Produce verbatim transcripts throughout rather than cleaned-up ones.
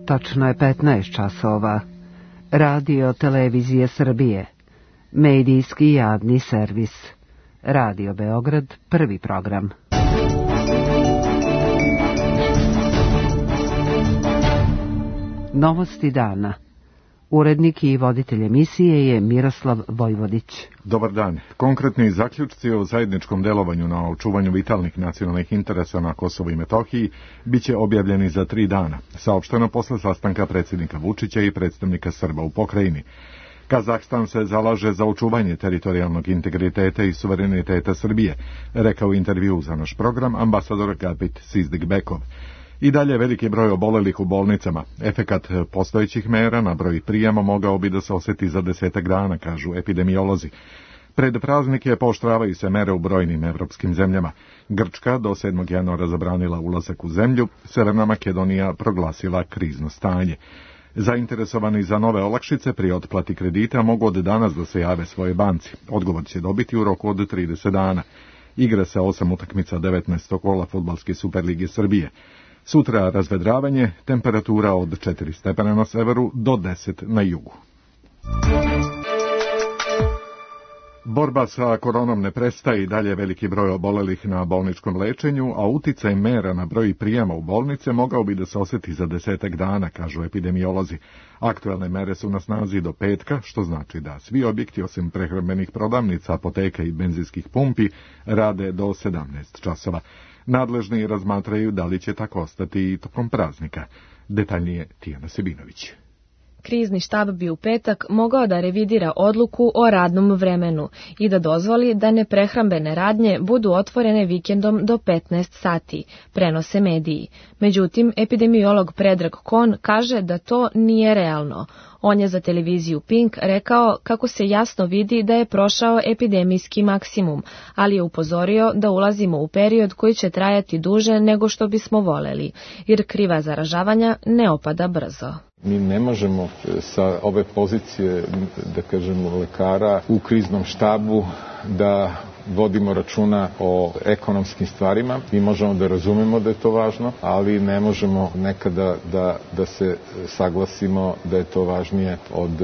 Tačno je petnaest časova. Radio Televizije Srbije. Medijski javni servis. Radio Beograd, prvi program. Novosti dana. Urednik i voditelj emisije je Miroslav Vojvodić. Dobar dan. Konkretni zaključci o zajedničkom delovanju na očuvanju vitalnih nacionalnih interesa na Kosovu i Metohiji biće objavljeni za tri dana, saopšteno posle sastanka predsjednika Vučića i predstavnika Srba u pokrajini. Kazahstan se zalaže za očuvanje teritorijalnog integriteta i suvereniteta Srbije, rekao u intervju za naš program ambasador Gabit Sizdik-Bekov. I dalje veliki broj obolelih u bolnicama. Efekat postojećih mera na broj prijema mogao bi da se osjeti za desetak dana, kažu epidemiolozi. Pred praznike pooštravaju se mere u brojnim evropskim zemljama. Grčka do sedmog januara zabranila ulazak u zemlju, Severna Makedonija proglasila krizno stanje. Zainteresovani za nove olakšice pri otplati kredita mogu od danas da se jave svoje banci. Odgovor će dobiti u roku od trideset dana. Igra se osam utakmica devetnaestog kola Fudbalske Superlige Srbije. Sutra razvedravanje, temperatura od četiri stepena na severu do deset na jugu. Borba sa koronom ne prestaje i dalje veliki broj obolelih na bolničkom lečenju, a uticaj mera na broj prijema u bolnice mogao bi da se osjeti za desetak dana, kažu epidemiolozi. Aktuelne mere su na snazi do petka, što znači da svi objekti osim prehrambenih prodavnica, apoteka i benzinskih pumpi rade do sedamnaest časova. Nadležni razmatraju da li će tako ostati i tokom praznika. Detaljnije Tijana Sebinović. Krizni štab bi u petak mogao da revidira odluku o radnom vremenu i da dozvoli da neprehrambene radnje budu otvorene vikendom do petnaest sati, prenose mediji. Međutim, epidemiolog Predrag Kon kaže da to nije realno. On je za televiziju Pink rekao kako se jasno vidi da je prošao epidemijski maksimum, ali je upozorio da ulazimo u period koji će trajati duže nego što bismo voleli, jer kriva zaražavanja ne opada brzo. Mi ne možemo sa ove pozicije, da kažemo, lekara u kriznom štabu da vodimo računa o ekonomskim stvarima. Mi možemo da razumemo da je to važno, ali ne možemo nekada da, da se saglasimo da je to važnije od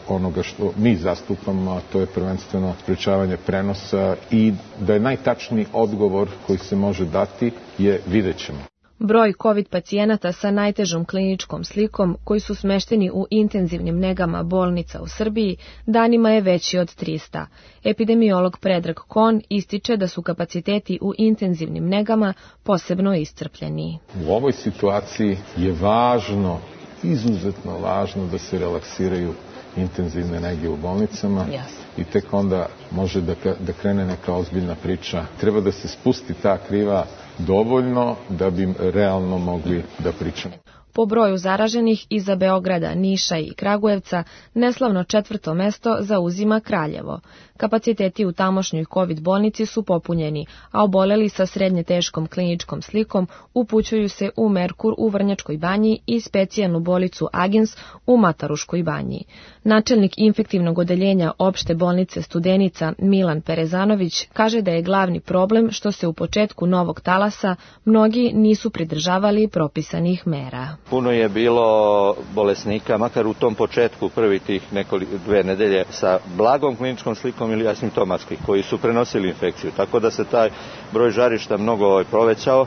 onoga što mi zastupamo, a to je prvenstveno sprečavanje prenosa i da je najtačniji odgovor koji se može dati je vidjet ćemo. Broj COVID pacijenata sa najtežom kliničkom slikom koji su smešteni u intenzivnim negama bolnica u Srbiji danima je veći od trista. Epidemiolog Predrag Kon ističe da su kapaciteti u intenzivnim negama posebno iscrpljeni. U ovoj situaciji je važno, izuzetno važno da se relaksiraju intenzivne nege u bolnicama. Yes. I tek onda može da, da krene neka ozbiljna priča. Treba da se spusti ta kriva dovoljno da bi realno mogli da pričamo. Po broju zaraženih iza Beograda, Niša i Kragujevca neslavno četvrto mesto zauzima Kraljevo. Kapaciteti u tamošnjoj COVID bolnici su popunjeni, a oboleli sa srednje teškom kliničkom slikom upućuju se u Merkur u Vrnjačkoj banji i specijalnu bolnicu Agens u Mataruškoj banji. Načelnik infektivnog odeljenja opšte bolnice Studenica Milan Perezanović kaže da je glavni problem što se u početku novog talasa mnogi nisu pridržavali propisanih mera. Puno je bilo bolesnika, makar u tom početku prvi tih nekoliko dve nedelje sa blagom kliničkom slikom ili asimptomatskih, koji su prenosili infekciju. Tako da se taj broj žarišta mnogo povećao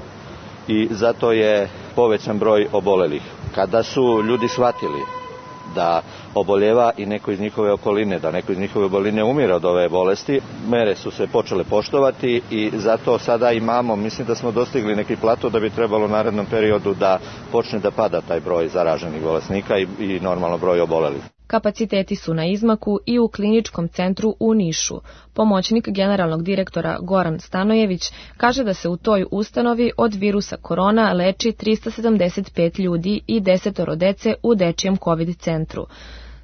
i zato je povećan broj obolelih. Kada su ljudi shvatili da oboljeva i neko iz njihove okoline, da neko iz njihove okoline umire od ove bolesti, mere su se počele poštovati i zato sada imamo, mislim da smo dostigli neki plato da bi trebalo u narednom periodu da počne da pada taj broj zaraženih bolesnika i, i normalno broj obolelih. Kapaciteti su na izmaku i u kliničkom centru u Nišu. Pomoćnik generalnog direktora Goran Stanojević kaže da se u toj ustanovi od virusa korona leči trista sedamdeset pet ljudi i desetoro dece u dečijem COVID centru.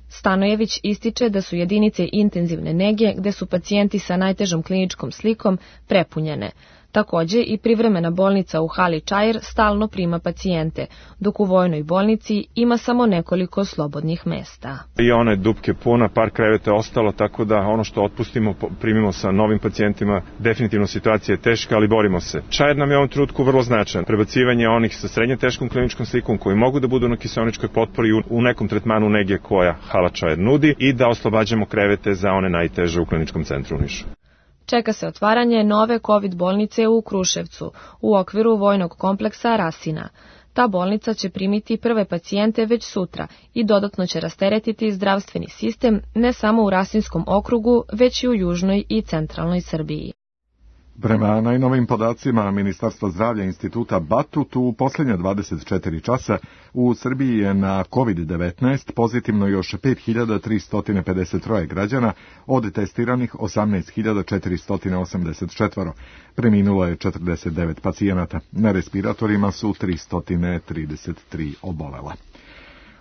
Stanojević ističe da su jedinice intenzivne nege gde su pacijenti sa najtežom kliničkom slikom prepunjene. Takođe i privremena bolnica u hali Čair stalno prima pacijente, dok u vojnoj bolnici ima samo nekoliko slobodnih mesta. I ona je dupke puna, par kreveta je ostalo, tako da ono što otpustimo primimo sa novim pacijentima. Definitivno situacija je teška, ali borimo se. Čair nam je u ovom trenutku vrlo značajan. Prebacivanje onih sa srednje teškom kliničkom slikom koji mogu da budu na kiseoničkoj potpori u nekom tretmanu nege koja hala Čair nudi i da oslobađamo krevete za one najteže u kliničkom centru u Nišu. Čeka se otvaranje nove COVID bolnice u Kruševcu u okviru vojnog kompleksa Rasina. Ta bolnica će primiti prve pacijente već sutra i dodatno će rasteretiti zdravstveni sistem ne samo u Rasinskom okrugu, već i u južnoj i centralnoj Srbiji. Prema najnovim podacima Ministarstva zdravlja Instituta Batut, u posljednja dvadeset četiri časa u Srbiji je na kovid devetnaest pozitivno još pet hiljada tristo pedeset tri građana, od testiranih osamnaest hiljada četiristo osamdeset četiri. Preminulo je četrdeset devet pacijenata. Na respiratorima su tristo trideset tri obolela.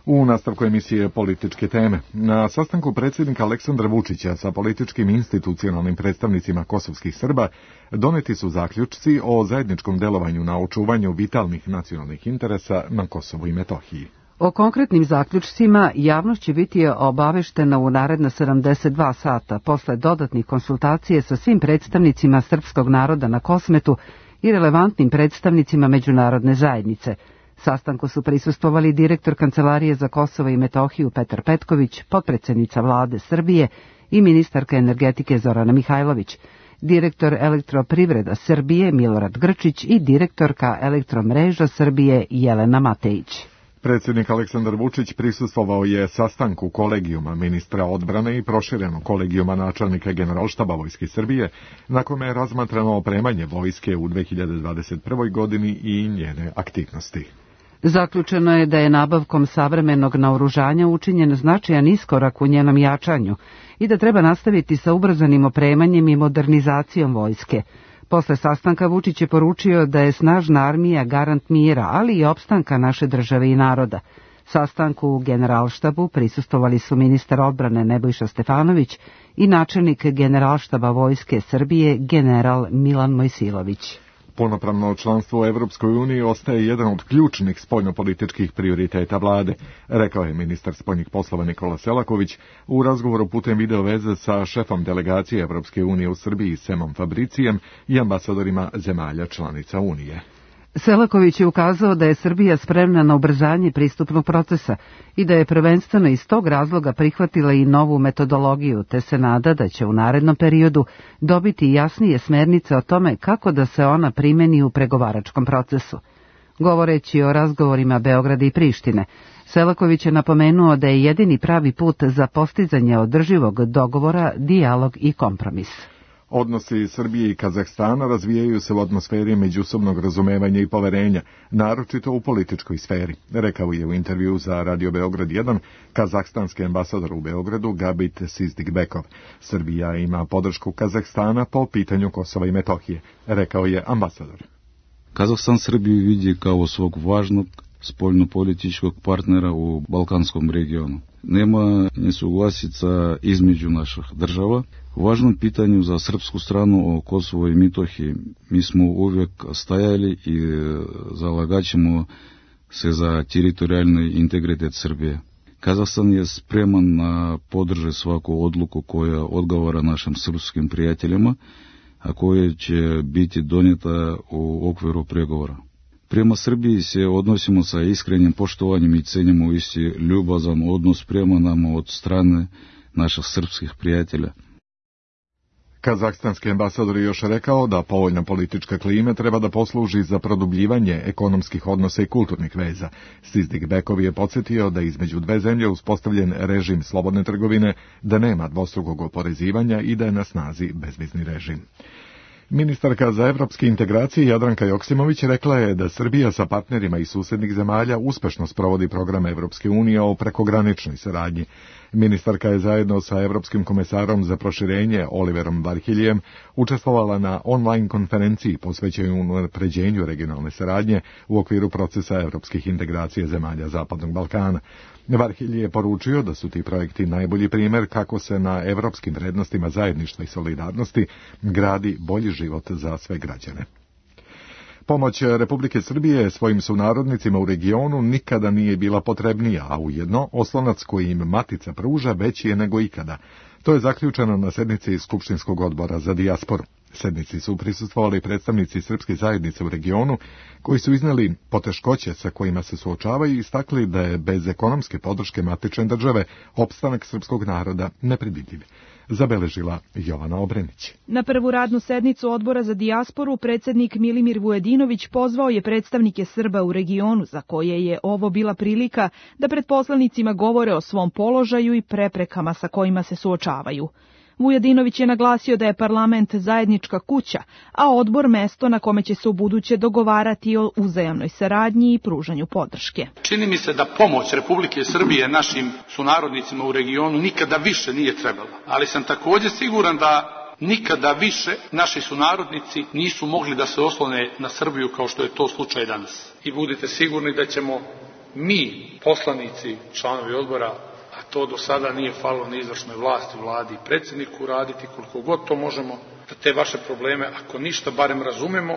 U nastavku emisije Političke teme. Na sastanku predsjednika Aleksandra Vučića sa političkim institucionalnim predstavnicima kosovskih Srba doneti su zaključci o zajedničkom delovanju na očuvanju vitalnih nacionalnih interesa na Kosovu i Metohiji. O konkretnim zaključcima javnost će biti obaveštena u naredna sedamdeset dva sata posle dodatnih konsultacije sa svim predstavnicima srpskog naroda na Kosmetu i relevantnim predstavnicima međunarodne zajednice. Sastanku su prisustvovali direktor Kancelarije za Kosovo i Metohiju Petar Petković, potpredsjednica vlade Srbije i ministarka energetike Zorana Mihajlović, direktor Elektroprivreda Srbije Milorad Grčić i direktorka Elektromreža Srbije Jelena Matejić. Predsjednik Aleksandar Vučić prisustvovao je sastanku kolegijuma ministra odbrane i proširenog kolegijuma načelnika Generalštaba Vojske Srbije, na kome je razmatrano opremanje vojske u dve hiljade dvadeset prvoj godini i njene aktivnosti. Zaključeno je da je nabavkom savremenog naoružanja učinjen značajan iskorak u njenom jačanju i da treba nastaviti sa ubrzanim opremanjem i modernizacijom vojske. Posle sastanka Vučić je poručio da je snažna armija garant mira, ali i opstanka naše države i naroda. Sastanku u Generalštabu prisustvovali su ministar odbrane Nebojša Stefanović i načelnik Generalštaba Vojske Srbije general Milan Mojsilović. Punopravno članstvo u Evropskoj uniji ostaje jedan od ključnih spoljnopolitičkih prioriteta vlade, rekao je ministar spoljnih poslova Nikola Selaković u razgovoru putem video veze sa šefom delegacije Evropske unije u Srbiji Semom Fabricijem i ambasadorima zemalja članica Unije. Selaković je ukazao da je Srbija spremna na ubrzanje pristupnog procesa i da je prvenstveno iz tog razloga prihvatila i novu metodologiju, te se nada da će u narednom periodu dobiti jasnije smernice o tome kako da se ona primeni u pregovaračkom procesu. Govoreći o razgovorima Beograda i Prištine, Selaković je napomenuo da je jedini pravi put za postizanje održivog dogovora dijalog i kompromis. Odnosi Srbije i Kazahstana razvijaju se u atmosferi međusobnog razumevanja i poverenja, naročito u političkoj sferi, rekao je u intervju za Radio Beograd jedan kazahstanski ambasador u Beogradu Gabit Sizdigbekov. Srbija ima podršku Kazahstana po pitanju Kosova i Metohije, rekao je ambasador. Kazahstan Srbiju vidi kao svog važnog spoljnopolitičkog partnera u Balkanskom regionu. Nema nesuglasica između naših država. U važnom pitanju za srpsku stranu o Kosovo i Metohiji mi smo uvijek stajali i zalagaćemo se za teritorijalni integritet Srbije. Kazahstan je spreman na podrže svaku odluku koja odgovara našim srpskim prijateljima, a koja će biti donijeta u okviru pregovora. Prema Srbiji se odnosimo sa iskrenim poštovanjem i cenimo isti ljubazan odnos prema nama od strane naših srpskih prijatelja. Kazahstanski ambasador je još rekao da povoljna politička klima treba da posluži za produbljivanje ekonomskih odnosa i kulturnih veza. Sizdigbekov je podsjetio da između dve zemlje uspostavljen režim slobodne trgovine, da nema dvostrukog oporezivanja i da je na snazi bezvizni režim. Ministarka za evropske integracije Jadranka Joksimović rekla je da Srbija sa partnerima iz susednih zemalja uspešno sprovodi program Evropske unije o prekograničnoj saradnji. Ministarka je zajedno sa Evropskim komesarom za proširenje Oliverom Varhiljem učestvovala na online konferenciji posvećenoj unapređenju regionalne saradnje u okviru procesa evropskih integracija zemalja Zapadnog Balkana. Varhilj je poručio da su ti projekti najbolji primjer kako se na evropskim vrednostima zajedništva i solidarnosti gradi bolji život za sve građane. Pomoć Republike Srbije svojim sunarodnicima u regionu nikada nije bila potrebnija, a ujedno oslonac koji im matica pruža veći je nego ikada. To je zaključeno na sednici Skupštinskog odbora za dijasporu. Sednici su prisustvovali predstavnici srpske zajednice u regionu, koji su izneli poteškoće sa kojima se suočavaju i istakli da je bez ekonomske podrške matične države opstanak srpskog naroda nepredvidljiv. Zabeležila Jovana Obrenić. Na prvu radnu sednicu Odbora za dijasporu predsjednik Milimir Vujadinović pozvao je predstavnike Srba u regionu, za koje je ovo bila prilika da pred poslanicima govore o svom položaju i preprekama sa kojima se suočavaju. Vujadinović je naglasio da je parlament zajednička kuća, a odbor mesto na kome će se ubuduće dogovarati o uzajamnoj saradnji i pružanju podrške. Čini mi se da pomoć Republike Srbije našim sunarodnicima u regionu nikada više nije trebala, ali sam također siguran da nikada više naši sunarodnici nisu mogli da se oslone na Srbiju kao što je to slučaj danas. I budite sigurni da ćemo mi, poslanici, članovi odbora, a to do sada nije falilo ni izvršnoj vlasti, vladi i predsjedniku, raditi koliko god to možemo, da te vaše probleme, ako ništa, barem razumemo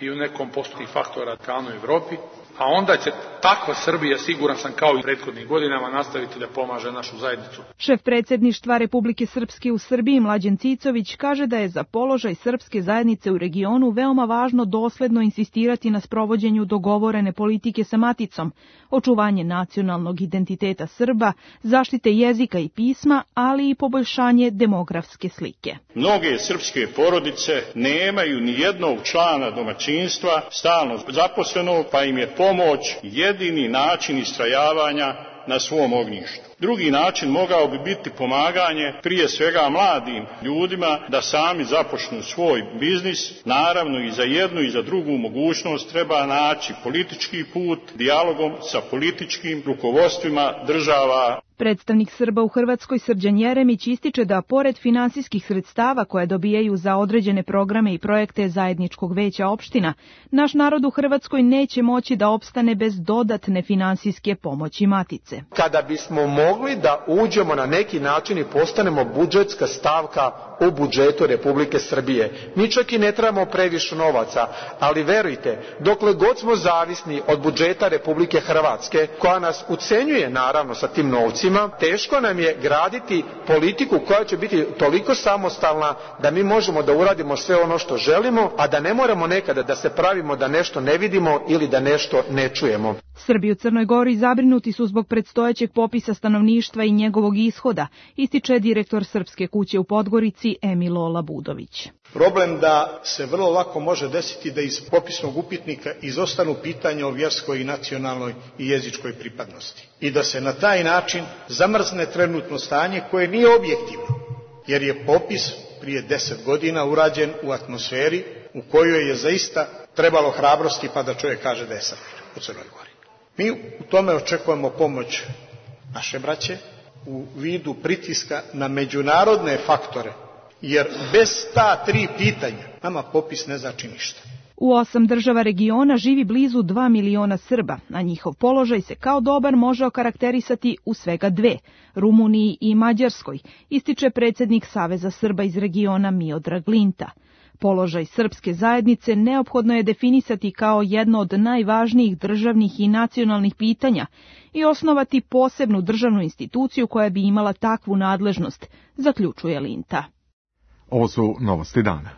i u nekom postupnih faktora kao u Evropi, a onda će takva Srbija, siguran sam kao i prethodnih godinama, nastaviti da pomaže našu zajednicu. Šef predsjedništva Republike Srpske u Srbiji Mlađan Cicović kaže da je za položaj srpske zajednice u regionu veoma važno dosledno insistirati na sprovođenju dogovorene politike sa maticom, očuvanje nacionalnog identiteta Srba, zaštite jezika i pisma, ali i poboljšanje demografske slike. Mnoge srpske porodice nemaju ni jednog člana domaćinstva stalno zaposlenog, pa im je pomoć jedini način istrajavanja na svom ognjištu. Drugi način mogao bi biti pomaganje prije svega mladim ljudima da sami započnu svoj biznis. Naravno i za jednu i za drugu mogućnost treba naći politički put dijalogom sa političkim rukovodstvima država. Predstavnik Srba u Hrvatskoj Srđan Jeremić ističe da pored finansijskih sredstava koje dobijaju za određene programe i projekte zajedničkog veća opština, naš narod u Hrvatskoj neće moći da opstane bez dodatne finansijske pomoći matice. Kada bismo mogli da uđemo na neki način i postanemo budžetska stavka u budžetu Republike Srbije, mi čak i ne trebamo previše novaca, ali verujte, dokle god smo zavisni od budžeta Republike Hrvatske, koja nas ucenjuje naravno sa tim novcima, teško nam je graditi politiku koja će biti toliko samostalna da mi možemo da uradimo sve ono što želimo, a da ne moramo nekada da se pravimo da nešto ne vidimo ili da nešto ne čujemo. Srbi u Crnoj Gori zabrinuti su zbog predstojećeg popisa stanovništva i njegovog ishoda, ističe direktor Srpske kuće u Podgorici Emilo Labudović. Problem da se vrlo lako može desiti da iz popisnog upitnika izostanu pitanja o vjerskoj i nacionalnoj i jezičkoj pripadnosti i da se na taj način zamrzne trenutno stanje koje nije objektivno, jer je popis prije deset godina urađen u atmosferi u kojoj je zaista trebalo hrabrosti pa da čovjek kaže da je Srbin u Crnoj Gori. Mi u tome očekujemo pomoć naše braće u vidu pritiska na međunarodne faktore, jer bez ta tri pitanja nama popis ne znači ništa. U osam država regiona živi blizu dva miliona Srba, a njihov položaj se kao dobar može okarakterisati u svega dve, Rumuniji i Mađarskoj, ističe predsjednik Saveza Srba iz regiona Miodrag Linta. Položaj srpske zajednice neophodno je definisati kao jedno od najvažnijih državnih i nacionalnih pitanja i osnovati posebnu državnu instituciju koja bi imala takvu nadležnost, zaključuje Linta. Ovo su novosti dana.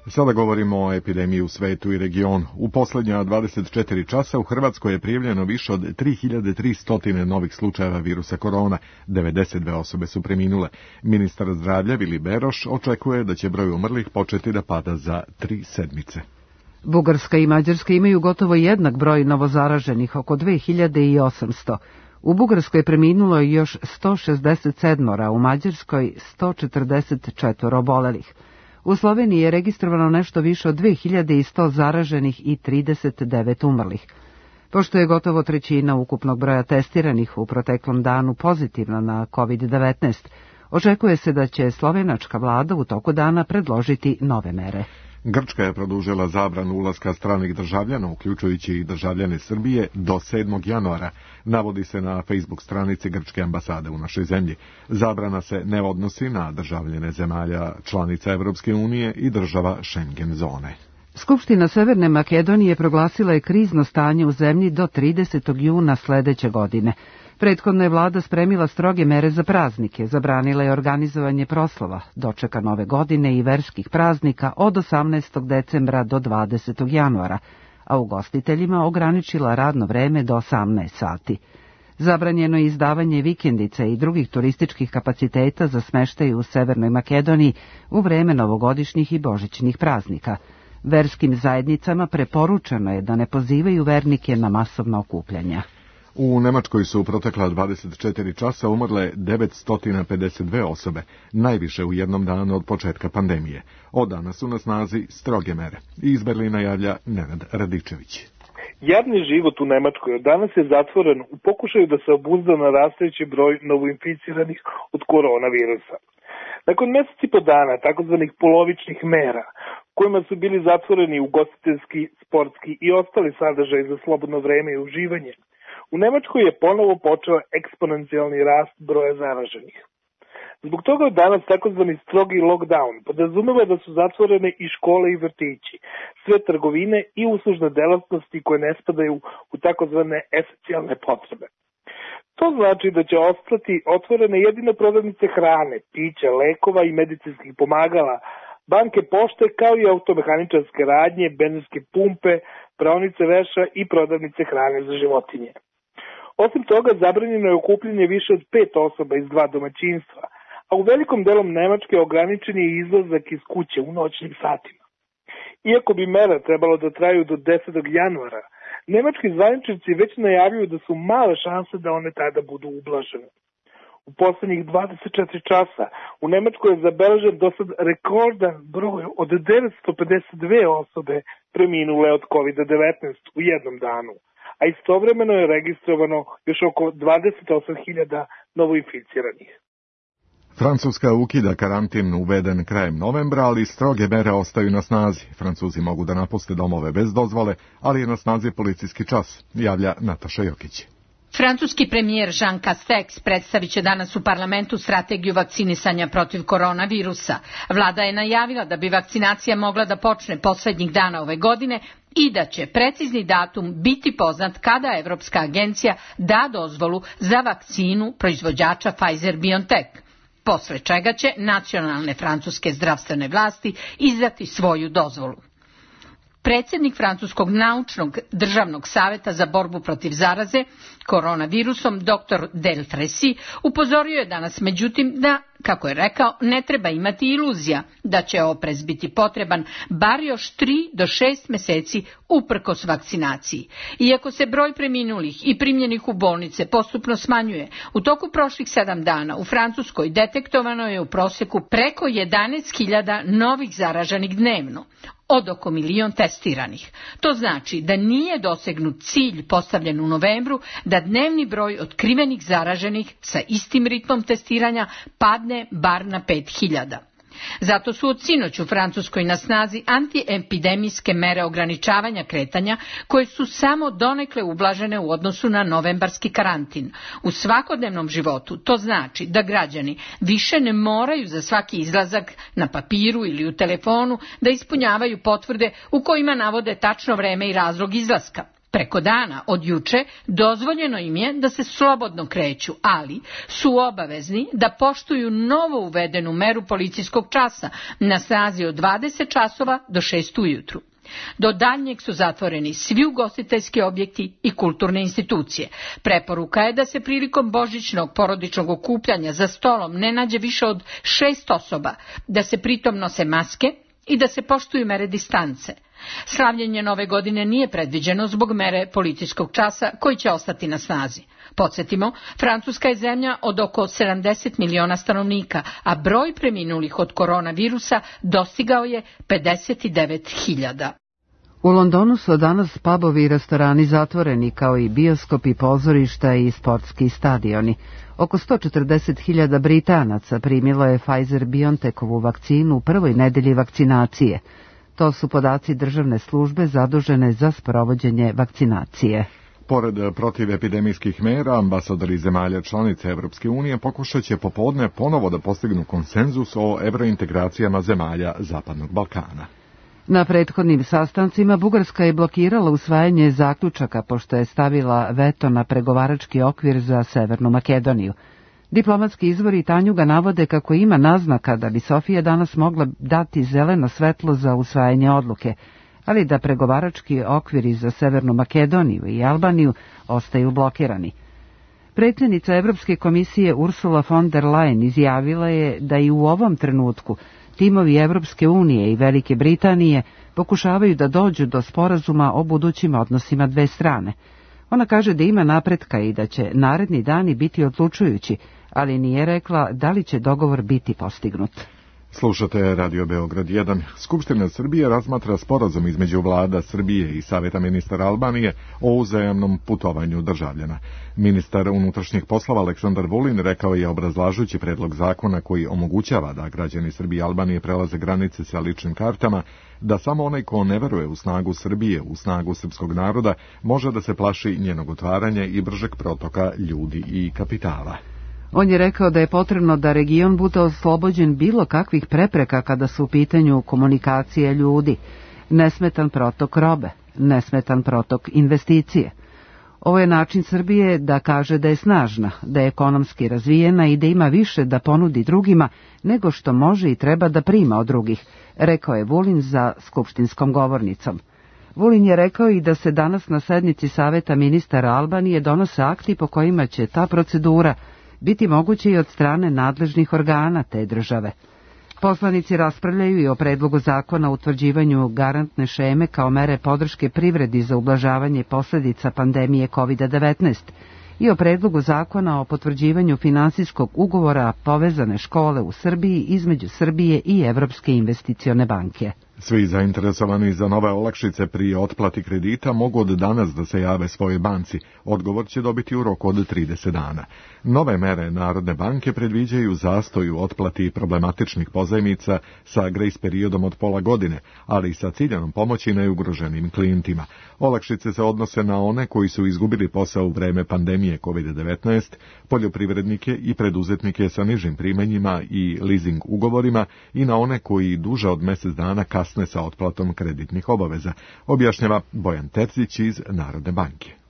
Sada govorimo o epidemiji u svetu i regionu. U posljednja dvadeset četiri časa u Hrvatskoj je prijavljeno više od tri hiljade tristo novih slučajeva virusa korona, devedeset dve osobe su preminule. Ministar zdravlja Vili Beroš očekuje da će broj umrlih početi da pada za tri sedmice. Bugarska i Mađarska imaju gotovo jednak broj novozaraženih, oko dve hiljade osamsto. U Bugarskoj je preminulo još sto šezdeset sedam, a u Mađarskoj sto četrdeset četiri obolelih. U Sloveniji je registrovano nešto više od dve hiljade sto zaraženih i trideset devet umrlih. Pošto je gotovo trećina ukupnog broja testiranih u proteklom danu pozitivna na kovid devetnaest, očekuje se da će slovenačka vlada u toku dana predložiti nove mere. Grčka je produžila zabranu ulaska stranih državljana, uključujući i državljane Srbije, do sedmog januara, navodi se na Facebook stranici Grčke ambasade u našoj zemlji. Zabrana se ne odnosi na državljane zemalja članica Evropske unije i država Schengen zone. Skupština Severne Makedonije proglasila je krizno stanje u zemlji do tridesetog juna sledeće godine. Prethodno je vlada spremila stroge mere za praznike, zabranila je organizovanje proslava, dočeka nove godine i verskih praznika od osamnaestog decembra do dvadesetog januara, a ugostiteljima ograničila radno vreme do osamnaest sati. Zabranjeno je izdavanje vikendica i drugih turističkih kapaciteta za smeštaj u Severnoj Makedoniji u vreme novogodišnjih i božićnih praznika. Verskim zajednicama preporučeno je da ne pozivaju vernike na masovna okupljanja. U Nemačkoj su u protekla dvadeset četiri časa umrle devetsto pedeset dve osobe, najviše u jednom danu od početka pandemije. Od danas su na snazi stroge mere. Iz Berlina javlja Nenad Radičević. Javni život u Nemačkoj od danas je zatvoren u pokušaju da se obuzda narastajući broj novoinficiranih od koronavirusa. Nakon mjesec i po dana takozvanih polovičnih mera, kojima su bili zatvoreni ugostiteljski, sportski i ostali sadržaj za slobodno vreme i uživanje, u Nemačkoj je ponovo počeo eksponencijalni rast broja zaraženih. Zbog toga je danas takozvani strogi lockdown podrazumeva da su zatvorene i škole i vrtići, sve trgovine i uslužne delatnosti koje ne spadaju u takozvane esencijalne potrebe. To znači da će ostati otvorene jedino prodavnice hrane, pića, lekova i medicinskih pomagala, banke pošte kao i automehaničarske radnje, benzinske pumpe, praonice veša i prodavnice hrane za životinje. Osim toga, zabranjeno je okupljanje više od pet osoba iz dva domaćinstva, a u velikom delom Nemačke ograničen je izlazak iz kuće u noćnim satima. Iako bi mera trebalo da traju do desetog januara, nemački zvaničnici već najavljuju da su male šanse da one tada budu ublažene. U poslednjih dvadeset četiri časa u Nemačkoj je zabeležen dosad rekordan broj od devetsto pedeset dve osobe preminule od kovid devetnaest u jednom danu, a istovremeno je registrovano još oko dvadeset osam hiljada novoinficiranih. Francuska ukida karantin uveden krajem novembra, ali stroge mere ostaju na snazi. Francuzi mogu da napuste domove bez dozvole, ali je na snazi policijski čas, javlja Nataša Jokić. Francuski premijer Jean Castex predstavit će danas u parlamentu strategiju vakcinisanja protiv koronavirusa. Vlada je najavila da bi vakcinacija mogla da počne poslednjih dana ove godine i da će precizni datum biti poznat kada Evropska agencija da dozvolu za vakcinu proizvođača Pfizer-BioNTech, posle čega će nacionalne francuske zdravstvene vlasti izdati svoju dozvolu. Predsjednik Francuskog naučnog državnog saveta za borbu protiv zaraze koronavirusom doktor Delfresi upozorio je danas međutim da, kako je rekao, ne treba imati iluzija da će oprez biti potreban bar još tri do šest meseci uprkos vakcinaciji. Iako se broj preminulih i primljenih u bolnice postupno smanjuje, u toku prošlih sedam dana u Francuskoj detektovano je u prosjeku preko jedanaest hiljada novih zaraženih dnevno, od oko milion testiranih. To znači da nije dosegnut cilj postavljen u novembru da dnevni broj otkrivenih zaraženih sa istim ritmom testiranja padne bar na pet hiljada. Zato su od sinoć u Francuskoj na snazi antiepidemijske mere ograničavanja kretanja koje su samo donekle ublažene u odnosu na novembarski karantin. U svakodnevnom životu to znači da građani više ne moraju za svaki izlazak na papiru ili u telefonu da ispunjavaju potvrde u kojima navode tačno vreme i razlog izlaska. Preko dana od juče dozvoljeno im je da se slobodno kreću, ali su obavezni da poštuju novo uvedenu meru policijskog časa na snazi od dvadeset časova do šest ujutru. Do daljnjeg su zatvoreni svi ugostiteljski objekti i kulturne institucije. Preporuka je da se prilikom božićnog porodičnog okupljanja za stolom ne nađe više od šest osoba, da se pritom nose maske i da se poštuju mere distance. Slavljenje nove godine nije predviđeno zbog mere policijskog časa koji će ostati na snazi. Podsjetimo, Francuska je zemlja od oko sedamdeset miliona stanovnika, a broj preminulih od koronavirusa dostigao je pedeset devet hiljada. U Londonu su danas pubovi i restorani zatvoreni, kao i bioskopi, pozorišta i sportski stadioni. Oko sto četrdeset hiljada Britanaca primilo je Pfizer-BioNTechovu vakcinu u prvoj nedelji vakcinacije. To su podaci državne službe zadužene za sprovođenje vakcinacije. Pored protivepidemijskih mera, ambasadori zemalja članice Evropske unije pokušat će popodne ponovo da postignu konsenzus o evrointegracijama zemalja Zapadnog Balkana. Na prethodnim sastancima Bugarska je blokirala usvajanje zaključaka pošto je stavila veto na pregovarački okvir za Severnu Makedoniju. Diplomatski izvori Tanjuga navode kako ima naznaka da bi Sofija danas mogla dati zeleno svetlo za usvajanje odluke, ali da pregovarački okviri za Severnu Makedoniju i Albaniju ostaju blokirani. Predsjednica Evropske komisije Ursula von der Leyen izjavila je da i u ovom trenutku timovi Evropske unije i Velike Britanije pokušavaju da dođu do sporazuma o budućim odnosima dve strane. Ona kaže da ima napretka i da će naredni dani biti odlučujući, ali nije rekla da li će dogovor biti postignut. Slušate Radio Beograd jedan. Skupština Srbije razmatra sporazum između vlada Srbije i Saveta ministara Albanije o uzajamnom putovanju državljana. Ministar unutrašnjih poslova Aleksandar Vulin rekao je, obrazlažući predlog zakona koji omogućava da građani Srbije i Albanije prelaze granice sa ličnim kartama, da samo onaj ko ne veruje u snagu Srbije, u snagu srpskog naroda, može da se plaši njenog otvaranja i bržeg protoka ljudi i kapitala. On je rekao da je potrebno da region bude oslobođen bilo kakvih prepreka kada su u pitanju komunikacije ljudi, nesmetan protok robe, nesmetan protok investicije. Ovo je način Srbije da kaže da je snažna, da je ekonomski razvijena i da ima više da ponudi drugima nego što može i treba da prima od drugih, rekao je Vulin za skupštinskom govornicom. Vulin je rekao i da se danas na sednici Saveta ministara Albanije donose akti po kojima će ta procedura biti moguće i od strane nadležnih organa te države. Poslanici raspravljaju i o predlogu zakona o utvrđivanju garantne šeme kao mere podrške privredi za ublažavanje posljedica pandemije kovid devetnaest i o predlogu zakona o potvrđivanju finansijskog ugovora povezane škole u Srbiji između Srbije i Evropske investicione banke. Svi zainteresovani za nove olakšice pri otplati kredita mogu od danas da se jave svojoj banci. Odgovor će dobiti u roku od trideset dana. Nove mere Narodne banke predviđaju zastoj u otplati problematičnih pozajmica sa grejs periodom od pola godine, ali i sa ciljanom pomoći najugroženim klijentima. Olakšice se odnose na one koji su izgubili posao u vreme pandemije kovid devetnaest, poljoprivrednike i preduzetnike sa nižim primanjima i leasing ugovorima i na one koji duže od mjesec dana kasne sa otplatom kreditnih obaveza, objašnjava Bojan Terzić iz Narodne banke.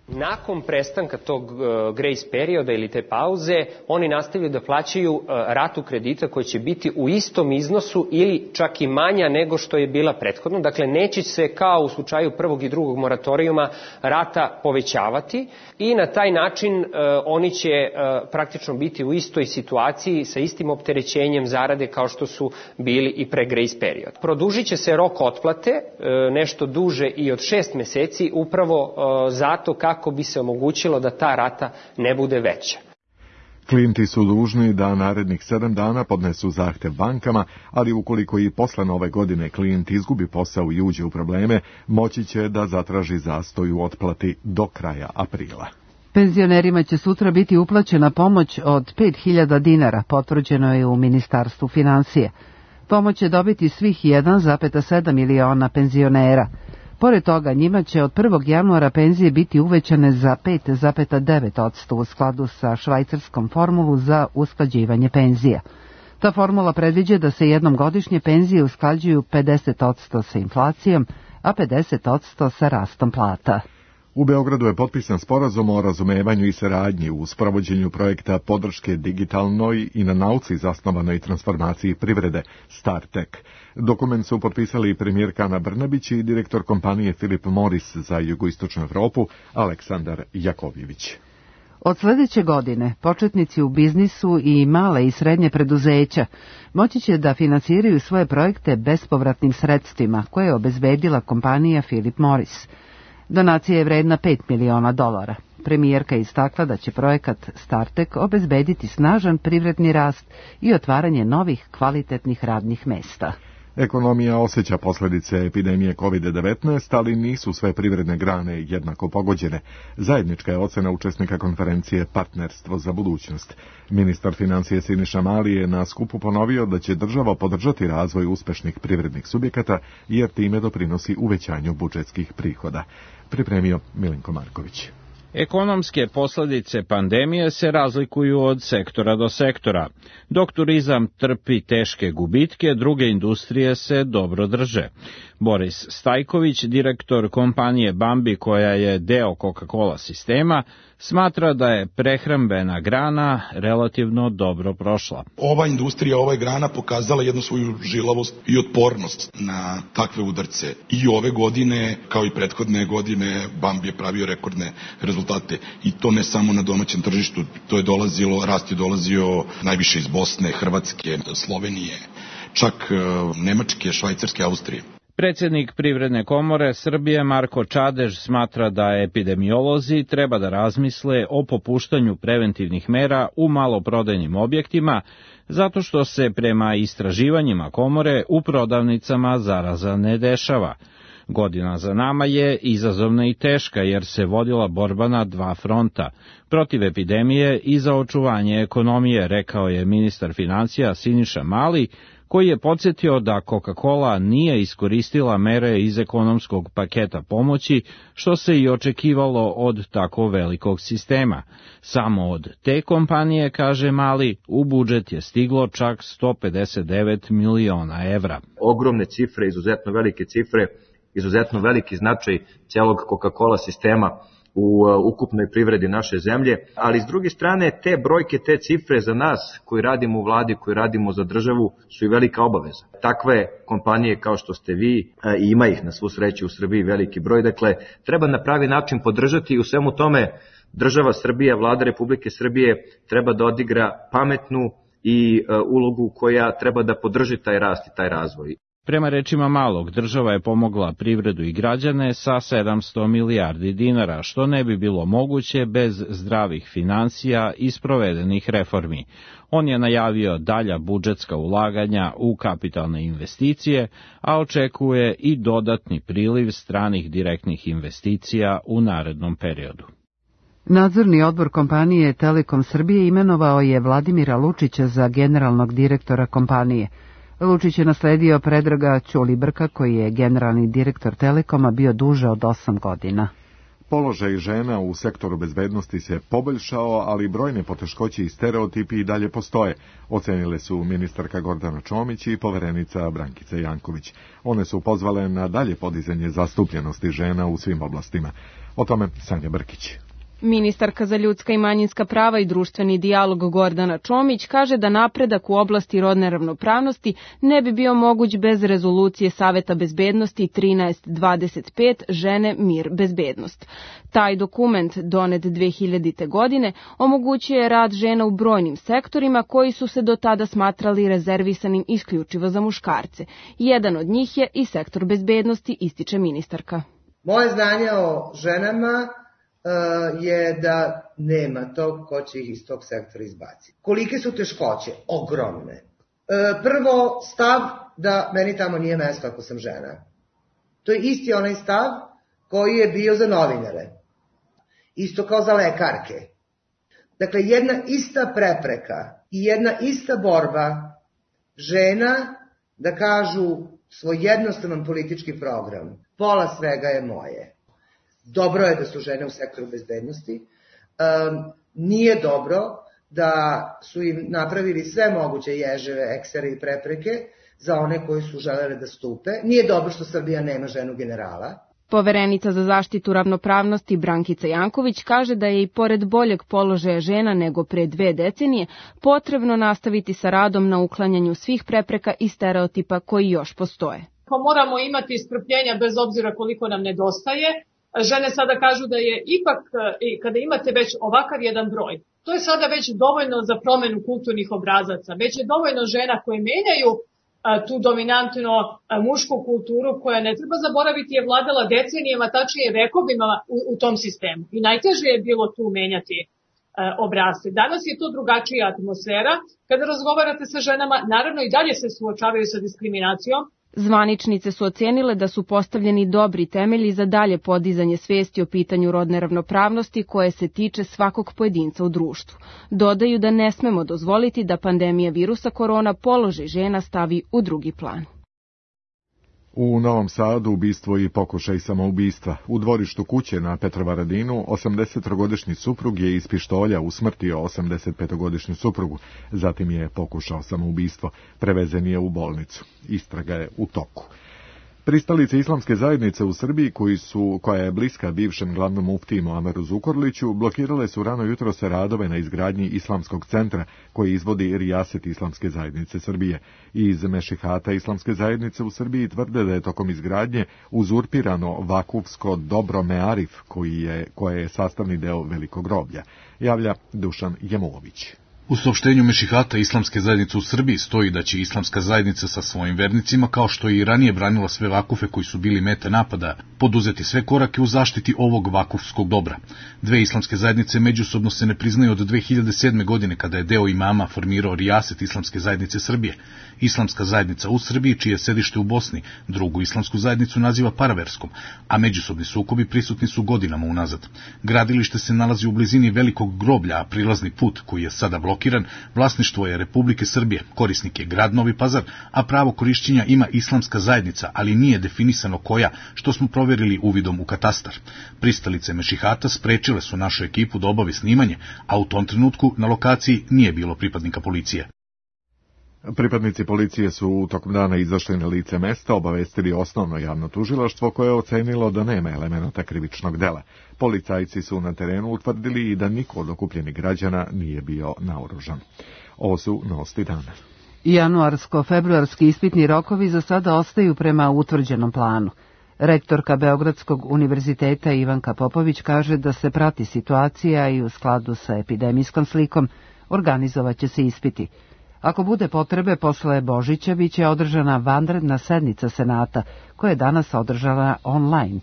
Nakon prestanka tog uh, grace perioda ili te pauze, oni nastavljaju da plaćaju uh, ratu kredita koja će biti u istom iznosu ili čak i manja nego što je bila prethodno. Dakle, neće se kao u slučaju prvog i drugog moratorijuma rata povećavati i na taj način uh, oni će uh, praktično biti u istoj situaciji sa istim opterećenjem zarade kao što su bili i pre grace period. Produžit će se rok otplate uh, nešto duže i od šest meseci upravo uh, zato kako kako bi se omogućilo da ta rata ne bude veća. Klijenti su dužni da narednih sedam dana podnesu zahtev bankama, ali ukoliko i posle nove godine klijent izgubi posao i uđe u probleme, moći će da zatraži zastoj u otplati do kraja aprila. Penzionerima će sutra biti uplaćena pomoć od pet hiljada dinara, potvrđeno je u Ministarstvu finansije. Pomoć će dobiti svih jedan zarez sedam miliona penzionera. Pored toga, njima će od prvog januara penzije biti uvećane za pet zarez devet posto u skladu sa švajcarskom formulu za usklađivanje penzija. Ta formula predviđa da se jednom godišnje penzije usklađuju pedeset posto sa inflacijom, a pedeset posto sa rastom plata. U Beogradu je potpisan sporazum o razumevanju i saradnji u sprovođenju projekta podrške digitalnoj i na nauci zasnovanoj transformaciji privrede StarTech. Dokument su potpisali premijerka Ana Brnabić i direktor kompanije Philip Morris za jugoistočnu Evropu Aleksandar Jakovljević. Od sljedeće godine početnici u biznisu i male i srednje preduzeća moći će da finansiraju svoje projekte bespovratnim sredstvima koje je obezbedila kompanija Philip Morris. Donacija je vredna pet miliona dolara. Premijerka je istakla da će projekat StarTech obezbediti snažan privredni rast i otvaranje novih kvalitetnih radnih mesta. Ekonomija osjeća posljedice epidemije kovid devetnaest, ali nisu sve privredne grane jednako pogođene. Zajednička je ocena učesnika konferencije Partnerstvo za budućnost. Ministar financije Siniša Mali je na skupu ponovio da će država podržati razvoj uspešnih privrednih subjekata, jer time doprinosi uvećanju budžetskih prihoda. Pripremio Milenko Marković. Ekonomske posljedice pandemije se razlikuju od sektora do sektora. Dok turizam trpi teške gubitke, druge industrije se dobro drže. Boris Stajković, direktor kompanije Bambi koja je deo Coca-Cola sistema, smatra da je prehrambena grana relativno dobro prošla. Ova industrija, ova grana pokazala jednu svoju žilavost i otpornost na takve udarce. I ove godine, kao i prethodne godine, Bambi je pravio rekordne rezultate. I to ne samo na domaćem tržištu, to je dolazilo, rast je dolazio najviše iz Bosne, Hrvatske, Slovenije, čak Nemačke, Švajcarske, Austrije. Predsjednik Privredne komore Srbije Marko Čadež smatra da epidemiolozi treba da razmisle o popuštanju preventivnih mera u maloprodajnim objektima, zato što se prema istraživanjima komore u prodavnicama zaraza ne dešava. Godina za nama je izazovna i teška jer se vodila borba na dva fronta, protiv epidemije i za očuvanje ekonomije, rekao je ministar financija Siniša Mali, koji je podsjetio da Coca-Cola nije iskoristila mere iz ekonomskog paketa pomoći, što se i očekivalo od tako velikog sistema. Samo od te kompanije, kaže Mali, u budžet je stiglo čak sto pedeset devet miliona evra. Ogromne cifre, izuzetno velike cifre, izuzetno veliki značaj celog Coca-Cola sistema u ukupnoj privredi naše zemlje, ali s druge strane te brojke, te cifre za nas koji radimo u vladi, koji radimo za državu su i velika obaveza. Takve kompanije kao što ste vi, i ima ih na svu sreću u Srbiji veliki broj, dakle treba na pravi način podržati i u svemu tome država Srbija, vlada Republike Srbije treba da odigra pametnu i ulogu koja treba da podrži taj rast i taj razvoj. Prema rečima Malog, država je pomogla privredu i građane sa sedamsto milijardi dinara, što ne bi bilo moguće bez zdravih financija i sprovedenih reformi. On je najavio dalja budžetska ulaganja u kapitalne investicije, a očekuje i dodatni priliv stranih direktnih investicija u narednom periodu. Nadzorni odbor kompanije Telekom Srbije imenovao je Vladimira Lučića za generalnog direktora kompanije. Lučić je nasledio Predraga Ćulibrka, koji je generalni direktor Telekoma bio duže od osam godina. Položaj žena u sektoru bezbednosti se poboljšao, ali brojne poteškoće i stereotipi i dalje postoje, ocenile su ministarka Gordana Čomić i poverenica Brankica Janković. One su pozvale na dalje podizanje zastupljenosti žena u svim oblastima. O tome Sanja Brkić. Ministarka za ljudska i manjinska prava i društveni dijalog Gordana Čomić kaže da napredak u oblasti rodne ravnopravnosti ne bi bio moguć bez rezolucije Saveta bezbednosti trinaest dvadeset pet Žene, mir, bezbednost. Taj dokument, donet dve hiljadite. godine, omogućuje rad žena u brojnim sektorima koji su se do tada smatrali rezervisanim isključivo za muškarce. Jedan od njih je i sektor bezbednosti, ističe ministarka. Moje znanje o ženama je da nema tog ko će ih iz tog sektora izbaciti. Kolike su teškoće? Ogromne. Prvo, stav da meni tamo nije mesto ako sam žena. To je isti onaj stav koji je bio za novinare. Isto kao za lekarke. Dakle, jedna ista prepreka i jedna ista borba žena da kažu svoj jednostavan politički program. Pola svega je moje. Dobro je da su žene u sektoru bezbednosti, um, nije dobro da su im napravili sve moguće ježeve, eksere i prepreke za one koji su želeli da stupe. Nije dobro što Srbija nema ženu generala. Poverenica za zaštitu ravnopravnosti Brankica Janković kaže da je i pored boljeg položaja žena nego pre dve decenije potrebno nastaviti sa radom na uklanjanju svih prepreka i stereotipa koji još postoje. Pa moramo imati strpljenja bez obzira koliko nam nedostaje. Žene sada kažu da je ipak, kada imate već ovakav jedan broj, to je sada već dovoljno za promenu kulturnih obrazaca, već je dovoljno žena koje menjaju tu dominantno mušku kulturu koja, ne treba zaboraviti, je vladala decenijama, tačnije vekovima u, u tom sistemu. I najteže je bilo tu menjati obrazce. Danas je to drugačija atmosfera. Kada razgovarate sa ženama, naravno i dalje se suočavaju sa diskriminacijom, Zvaničnice su ocenile da su postavljeni dobri temelji za dalje podizanje svesti o pitanju rodne ravnopravnosti koje se tiče svakog pojedinca u društvu. Dodaju da ne smemo dozvoliti da pandemija virusa korona položaj žena stavi u drugi plan. U Novom Sadu ubistvo i pokušaj samoubistva. U dvorištu kuće na Petrovaradinu osamdesetogodišnji suprug je iz pištolja usmrtio osamdesetpetogodišnju suprugu. Zatim je pokušao samoubistvo. Prevezen je u bolnicu. Istraga je u toku. Pristalice islamske zajednice u Srbiji, koji su, koja je bliska bivšem glavnom muftiji Muameru Zukorliću, blokirale su rano jutro se radove na izgradnji islamskog centra koji izvodi Rijaset islamske zajednice Srbije. Iz Mešihata islamske zajednice u Srbiji tvrde da je tokom izgradnje uzurpirano vakufsko dobro Mearif, koji je, koje je sastavni deo velikog groblja. Javlja Dušan Jemulović. U saopštenju Mešihata islamske zajednice u Srbiji stoji da će islamska zajednica sa svojim vernicima, kao što je i ranije branila sve vakufe koji su bili mete napada, poduzeti sve korake u zaštiti ovog vakufskog dobra. Dve islamske zajednice međusobno se ne priznaju od dve hiljade sedme. godine, kada je deo imama formirao Rijaset islamske zajednice Srbije. Islamska zajednica u Srbiji, čije je sedište u Bosni, drugu islamsku zajednicu naziva paraverskom, a međusobni sukobi prisutni su godinama unazad. Gradilište se nalazi u blizini velikog groblja, a prilazni put, koji je sada blokiran, vlasništvo je Republike Srbije, korisnik je grad Novi Pazar, a pravo korišćenja ima islamska zajednica, ali nije definisano koja, što smo provjerili uvidom u katastar. Pristalice Mešihata sprečile su našu ekipu da obavi snimanje, a u tom trenutku na lokaciji nije bilo pripadnika policije. Pripadnici policije su u tokom dana izašli na lice mesta, obavestili osnovno javno tužilaštvo koje je ocenilo da nema elemenata krivičnog dela. Policajci su na terenu utvrdili i da niko od okupljenih građana nije bio naoružan. Ovo su novosti dana. Januarsko-februarski ispitni rokovi za sada ostaju prema utvrđenom planu. Rektorka Beogradskog univerziteta Ivanka Popović kaže da se prati situacija i u skladu sa epidemijskom slikom organizovaće se ispiti. Ako bude potrebe, posle Božića biće održana vanredna sednica Senata, koja je danas održana online.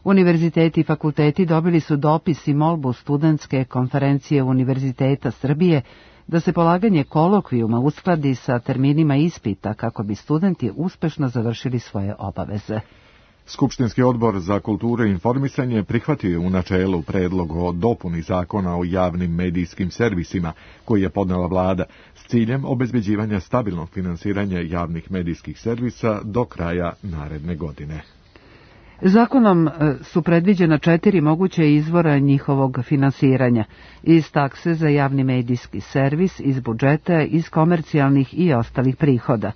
Univerziteti i fakulteti dobili su dopis i molbu studentske konferencije Univerziteta Srbije da se polaganje kolokvijuma uskladi sa terminima ispita kako bi studenti uspešno završili svoje obaveze. Skupštinski odbor za kulturu i informisanje prihvatio je u načelu predlog o dopuni zakona o javnim medijskim servisima koji je podnela vlada s ciljem obezbeđivanja stabilnog finansiranja javnih medijskih servisa do kraja naredne godine. Zakonom su predviđena četiri moguće izvora njihovog finansiranja: iz takse za javni medijski servis, iz budžeta, iz komercijalnih i ostalih prihoda.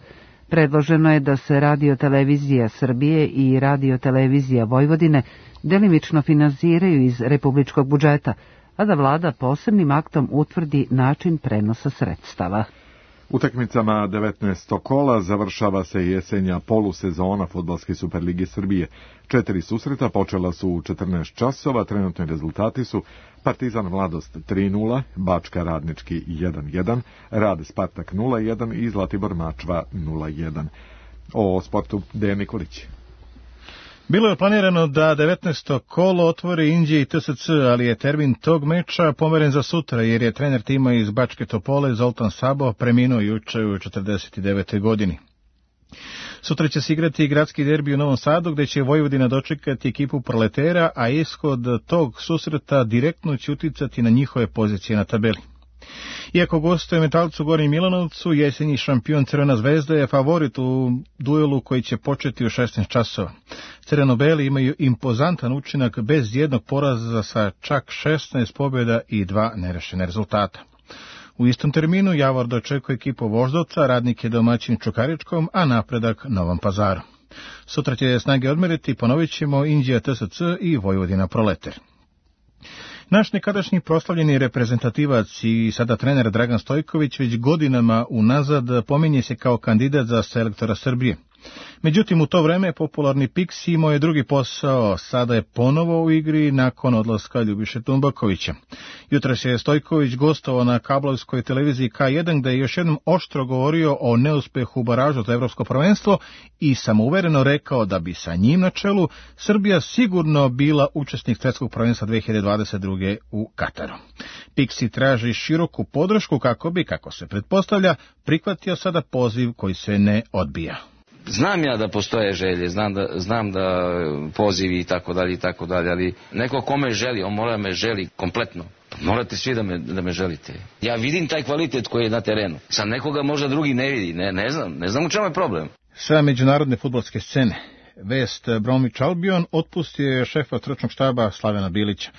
Predloženo je da se Radio-televizija Srbije i Radio-televizija Vojvodine delimično finansiraju iz republičkog budžeta, a da vlada posebnim aktom utvrdi način prenosa sredstava. Utakmicama devetnaestog kola završava se jesenja polusezona Fudbalske Superlige Srbije. Četiri susreta počela su u četrnaest časova, trenutni rezultati su Partizan Mladost tri nula, Bačka Radnički jedan jedan, Rad Spartak nula jedan i Zlatibor Mačva nula jedan. O sportu Dejan Nikolić. Bilo je planirano da devetnaesto kolo otvori Inđija i T S C, ali je termin tog meča pomeren za sutra, jer je trener tima iz Bačke Topole, Zoltan Sabo, preminuo juče u četrdeset devetoj godini. Sutra će se igrati gradski derbi u Novom Sadu, gde će Vojvodina dočekati ekipu Proletera, a ishod tog susreta direktno će uticati na njihove pozicije na tabeli. Iako gostuje Metalcu Gornji Milanovcu, jesenji šampion Crvena zvezda je favorit u duelu koji će početi u šesnaest časova. Crveno-beli imaju impozantan učinak bez jednog poraza sa čak šesnaest pobjeda i dva nerešene rezultata. U istom terminu Javor dočekuje ekipu Voždovca, Radnik je domaćin Čukaričkom, a Napredak Novom Pazaru. Sutra će snage odmeriti, ponovit ćemo Inđija T S C i Vojvodina Proleter. Naš nekadašnji proslavljeni reprezentativac i sada trener Dragan Stojković već godinama unazad pominje se kao kandidat za selektora Srbije. Međutim, u to vreme popularni Piksi imao je drugi posao, sada je ponovo u igri nakon odlaska Ljubiše Tumbakovića. Jutros je Stojković gostovao na kablovskoj televiziji K jedan, gde je još jednom oštro govorio o neuspehu u baražu za evropsko prvenstvo i samouvereno rekao da bi sa njim na čelu Srbija sigurno bila učesnik svetskog prvenstva dve hiljade dvadeset druge. u Kataru. Piksi traži široku podršku kako bi, kako se pretpostavlja, prihvatio sada poziv koji se ne odbija. Znam ja da postoje želje, znam da, znam da pozivi i tako dalje i tako dalje, ali neko kome želi, on mora me želi kompletno. Morate svi da me, da me želite. Ja vidim taj kvalitet koji je na terenu. Sad nekoga možda drugi ne vidi, ne, ne znam, ne znam u čemu je problem. Sa međunarodne fudbalske scene, vest Bromwich Albion otpustio je šefa stručnog štaba Slavena Bilića.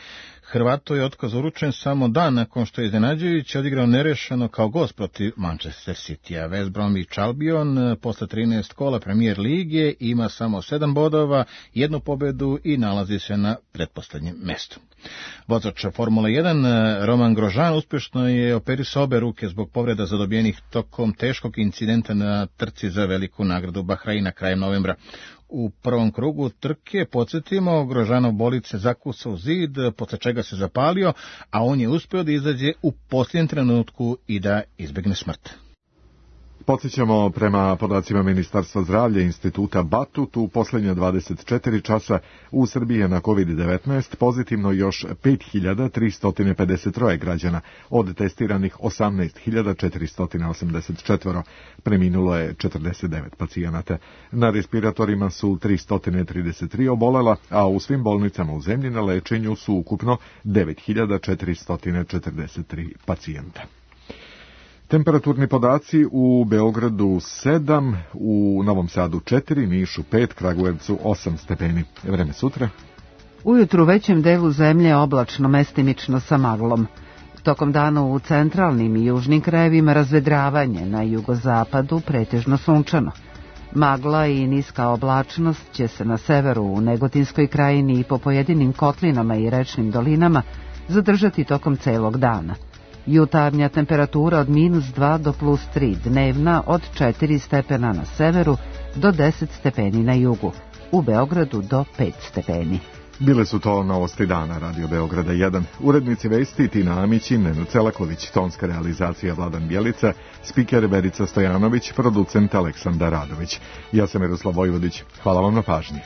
Hrvatu je otkaz uručen samo dan nakon što je iznenađujući odigrao nerešeno kao gost protiv Manchester City-a. West Bromwich Albion posle trinaest kola Premier lige ima samo sedam bodova, jednu pobedu i nalazi se na pretposlednjem mestu. Vozač Formule jedan Romain Grosjean uspješno je operisao obe ruke zbog povreda zadobijenih tokom teškog incidenta na trci za veliku nagradu Bahreina krajem novembra. U prvom krugu trke, podsjetimo, Grosjeanov bolid se zakucao u zid, posle čega se zapalio, a on je uspio da izađe u posljednjem trenutku i da izbegne smrt. Podsjećamo, prema podacima Ministarstva zdravlja instituta Batut, u posljednje dvadeset četiri časa u Srbiji je na kovid devetnaest pozitivno još pet hiljada tristo pedeset tri građana, od testiranih osamnaest hiljada četiristo osamdeset četiri, preminulo je četrdeset devet pacijenata. Na respiratorima su tristo trideset tri obolela, a u svim bolnicama u zemlji na lečenju su ukupno devet hiljada četiristo četrdeset tri pacijenta. Temperaturni podaci: u Beogradu sedam, u Novom Sadu četiri, Nišu pet, Kragujevcu osam stepeni. Vreme sutra. Ujutru u većem delu zemlje oblačno, mestimično sa maglom. Tokom dana u centralnim i južnim krajevima razvedravanje, na jugozapadu pretežno sunčano. Magla i niska oblačnost će se na severu u Negotinskoj krajini i po pojedinim kotlinama i rečnim dolinama zadržati tokom celog dana. Jutarnja temperatura od minus dva do plus tri, dnevna od četiri stepena na severu do deset stepeni na jugu, u Beogradu do pet stepeni. Bile su to novosti dana Radio Beograda jedan. Urednici vesti Tina Amić i Nenad Celaković, tonska realizacija Vladan Bjelica, spiker Verica Stojanović, producent Aleksandar Radović. Ja sam Miroslav Vojvodić. Hvala vam na pažnji.